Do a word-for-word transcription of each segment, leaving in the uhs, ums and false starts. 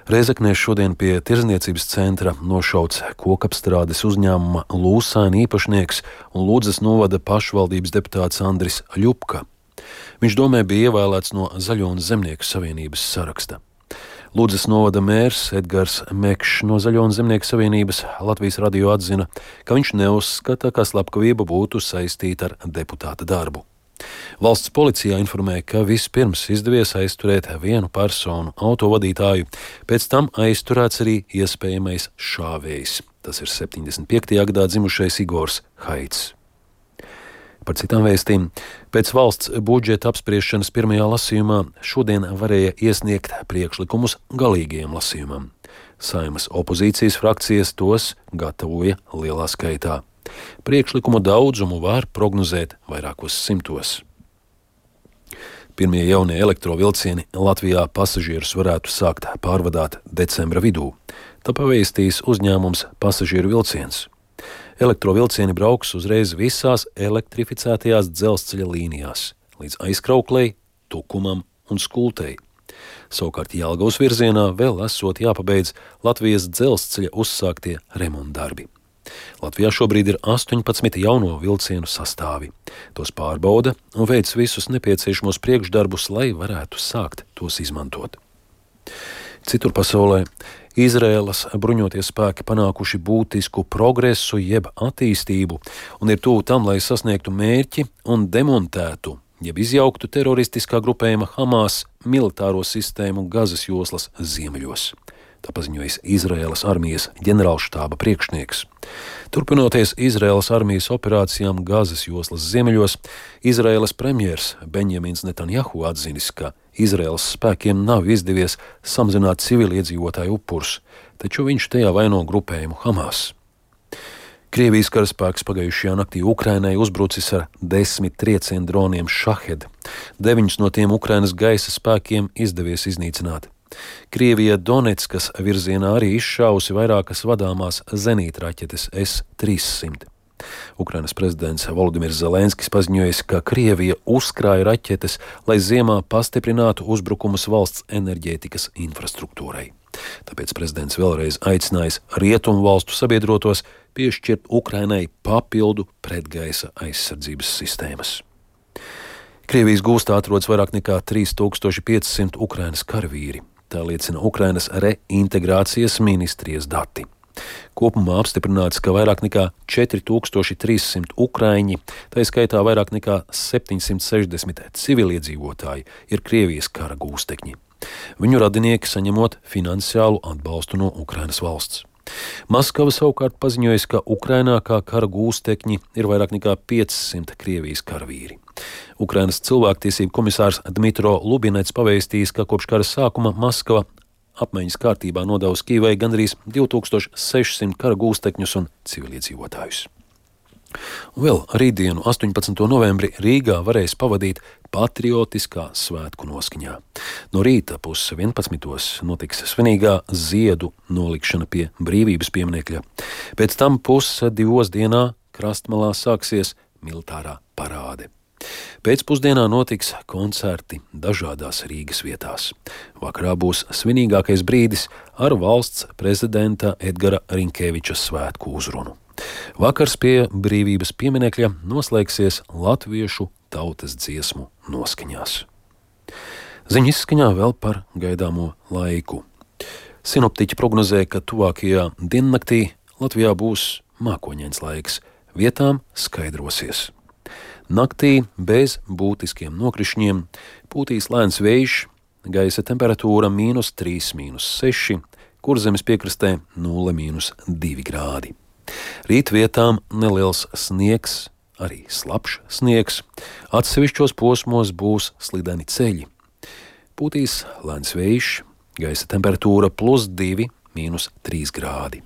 Rēzeknē šodien pie Tirdzniecības centra nošauts kokapstrādes uzņēmuma Lūsēna īpašnieks un Ludzas novada pašvaldības deputāts Andris Ļupka. Viņš domē bija ievēlēts no Zaļo un Zemnieku savienības saraksta. Ludzas novada mērs Edgars Mekšs no Zaļo un Zemnieku savienības Latvijas radio atzina, ka viņš neuzskata, ka slepkavība būtu saistīta ar deputāta darbu. Valsts policijā informēja, ka vispirms izdevies aizturēt vienu personu autovadītāju, pēc tam aizturēts arī iespējamais šāvējs. Tas ir septiņdesmit piektajā gadā dzimušais Igors Haits. Par citām vēstīm. Pēc valsts budžeta apspriešanas pirmajā lasījumā šodien varēja iesniegt priekšlikumus galīgajam lasījumam. Saeimas opozīcijas frakcijas tos gatavoja lielā skaitā. Priekšlikumu daudzumu var prognozēt vairākos simtos. Pirmie jaunie elektrovilcieni Latvijā pasažierus varētu sākt pārvadāt decembra vidū. Tā pavēstīs uzņēmums Pasažieru vilciens. Elektrovilcieni brauks uzreiz visās elektrificētajās dzelzceļa līnijās, līdz Aizkrauklei, Tukumam un Skultei. Savukārt Jelgavas virzienā vēl esot jāpabeidz Latvijas dzelzceļa uzsāktie remontdarbi. Latvijā šobrīd ir astoņpadsmit jauno vilcienu sastāvi. Tos pārbauda un veic visus nepieciešamos priekšdarbus, lai varētu sākt tos izmantot. Citur pasaulē Izraēlas bruņotie spēki panākuši būtisku progresu jeb attīstību un ir tuvu tam, lai sasniegtu mērķi un demontētu jeb izjauktu teroristiskā grupējuma Hamas militāro sistēmu Gazas joslas ziemeļos. Tā paziņojas Izraēlas armijas ģenerālštāba priekšnieks. Turpinoties Izraēlas armijas operācijām Gazas joslas ziemeļos, Izraēlas premjers Benjamins Netanjahu atzinis, ka Izraēlas spēkiem nav izdevies samazināt civiliedzīvotāju upurus, taču viņš tajā vaino grupējumu Hamas. Krievijas karaspēks pagājušajā naktī Ukrainai uzbrucis ar desmit triecienu droniem Šahed. Deviņus no tiem Ukrainas gaisa spēkiem izdevies iznīcināt. Krievija Donetskas virzienā arī izšāvusi vairākas vadāmās zenītraķetes S trīssimt. Ukrainas prezidents Volodimirs Zelenskis paziņojis, ka Krievija uzkrāja raķetes, lai ziemā pastiprinātu uzbrukumus valsts enerģētikas infrastruktūrai. Tāpēc prezidents vēlreiz aicinājis rietumu valstu sabiedrotos piešķirt Ukrainai papildu pretgaisa aizsardzības sistēmas. Krievijas gūstā atrodas vairāk nekā trīs tūkstoši pieci simti Ukrainas karavīri. Tā liecina Ukrainas reintegrācijas ministrijas dati. Kopumā apstiprināts, ka vairāk nekā četri tūkstoši trīs simti ukraiņi, tā skaitā vairāk nekā septiņsimt sešdesmit civiliedzīvotāji, ir Krievijas kara gūstekņi. Viņu radinieki saņemot finansiālu atbalstu no Ukrainas valsts. Maskava savukārt paziņojas, ka Ukrainā kā kara gūstekņi ir vairāk nekā piecsimt Krievijas karavīri. Ukrainas cilvēktiesību komisārs Dmitro Lubinets pavēstījis, ka kopš kara sākuma Maskava apmaiņas kārtībā nodevusi Kijevai gandrīz divi tūkstoši sešsimt kara gūstekņus un civiliedzīvotājus. Un vēl rītdienu, astoņpadsmito novembri, Rīgā varēs pavadīt patriotiskā svētku noskaņā. No rīta puses vienpadsmitos notiks svinīgā ziedu nolikšana pie Brīvības pieminekļa. Pēc tam puses divos dienā Krastmalā sāksies militārā parāde. Pēcpusdienā notiks koncerti dažādās Rīgas vietās. Vakarā būs svinīgākais brīdis ar valsts prezidenta Edgara Rinkēviča svētku uzrunu. Vakars pie Brīvības pieminekļa noslēgsies latviešu tautas dziesmu noskaņās. Ziņu izskaņā vēl par gaidāmo laiku. Sinoptiķi prognozē, ka tuvākajā diennaktī Latvijā būs mākoņains laiks, vietām skaidrosies. Naktī bez būtiskiem nokrišņiem pūtīs lēns vējš, gaisa temperatūra mīnus trīs, mīnus seši, Kurzemes piekrastē nulle, mīnus divi grādi. Rīt vietām neliels sniegs, arī slapjš sniegs, atsevišķos posmos būs slideni ceļi. Pūtīs lēns vējš, gaisa temperatūra plus divi, mīnus trīs grādi.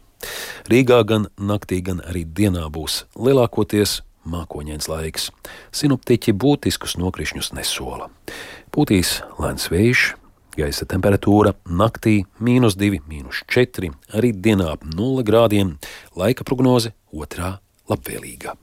Rīgā gan naktī, gan arī dienā būs lielākoties mākoņains laiks. Sinoptiķi būtiskus nokrišņus nesola. Pūtīs lēns vējš, gaisa temperatūra naktī mīnus divi, mīnus četri, arī dienā ap nulle grādiem, laika prognoze otrā labvēlīga.